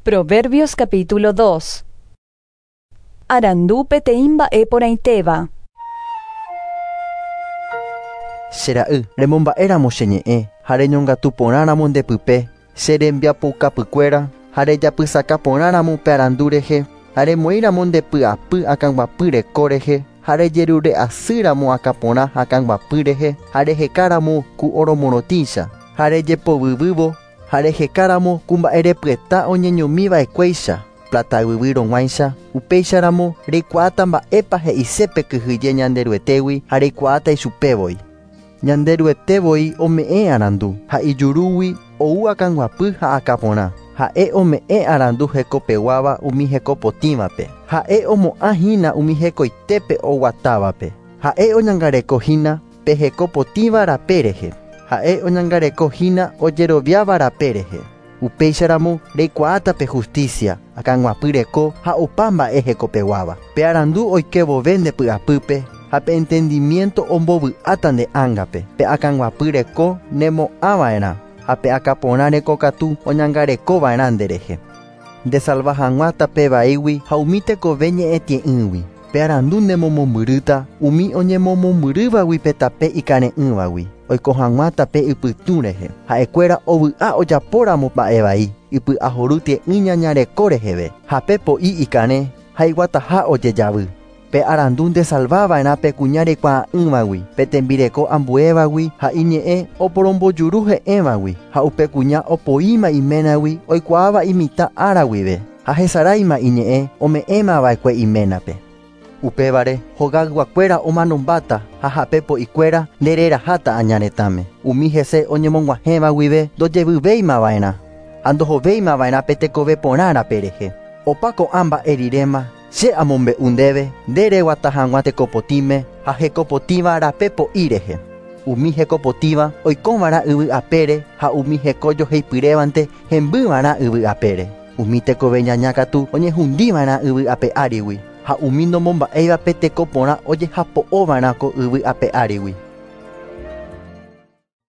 Proverbios capítulo 2. Arandu peteĩ mba'e porãitéva. Che ra'y, remomba'éramo che ñe'ẽ ha reñongatu porãramo nde pype che rembiapoukapykuéra ha rejapysaka porãramo pe arandu rehe ha remoĩramo nde py'apy akãguapy reko rehe ha rejerure'asýramo akãporã akãguapy rehe ha rehekáramo ku oromorotĩcha ha rejepovyvývo ha rehekáramo ku mba'erepyeta oñeñomiva'ekuéicha plata yvyvýrõguáicha upéicharamo reikuaáta mba'épa he'ise pe kyhyje Ñanderuetégui ha reikuaáta ichupévoi. Ñanderuetévoi ome'ẽ arandu ha ijurúgui ou akãguapy ha akãporã. Ha'e ome'ẽ arandu hekopeguáva umi hekopotĩvape. Ha'e omo'ãhína umi hekoitépe oguatávape. Ha'e oñangarekohína pe hekopotĩva rape rehe. Ha'e oñangarekohína ojeroviáva rape rehe. Upéicharamo reikuaáta pe justicia, akãguapy reko ha opa mba'e hekopeguáva. Pe arandu oikévove nde py'apýpe ha pe entendimiento ombovy'áta nde ángape. Pe akãguapy reko nemo'ãva'erã ha pe akãporã rekokatu oñangarekova'erã nderehe. Ndesalva hag̃ua tape vaígui ha umi tekove ñe'ẽtie'ỹgui. Pe arandu nemomombyrýta umi oñemomombyrývagui pe tape ikare'ỹvagui. Oiko hag̃ua tape ypytũ rehe. Ha'ekuéra ovy'a ojapóramo mba'e vai, ipy'ahory tie'ỹ ñañareko reheve. Ha pe po'i ikarẽ ha iguataha ojejavy. Pe arandu ndesalvava'erã pe kuña rekuaa'ỹvagui, pe tembireko ambuévagui ha iñe'ẽ oporombojuru he'ẽvagui ha upe kuña opoíma iménagui oikuaáva imitã ára guive ha hesaráima iñe'ẽ ome'ẽmava'ekue iménape. Upévare hogayguakuéra omanombáta ha hape po'ikuéra ndereraháta añaretãme. Umi hese oñemog̃uahẽva guive ndojevyvéimava'erã ha ndohovéimava'erã pe tekove porã rape rehe. Opa ko'ã mba'e riréma che amombe'u ndéve nde reguata hag̃ua tekopotĩme ha hekopotĩva rape po'i rehe. Umi hekopotĩva oikóva'erã yvy apére ha umi heko joheipyrévante hembýva'erã yvy apére. Umi tekove ñaña katu oñehundiva'erã yvy ape árigui ha umi nomomba'éiva pe teko porã ojehapo'óva'erã ko yvy ape árigui.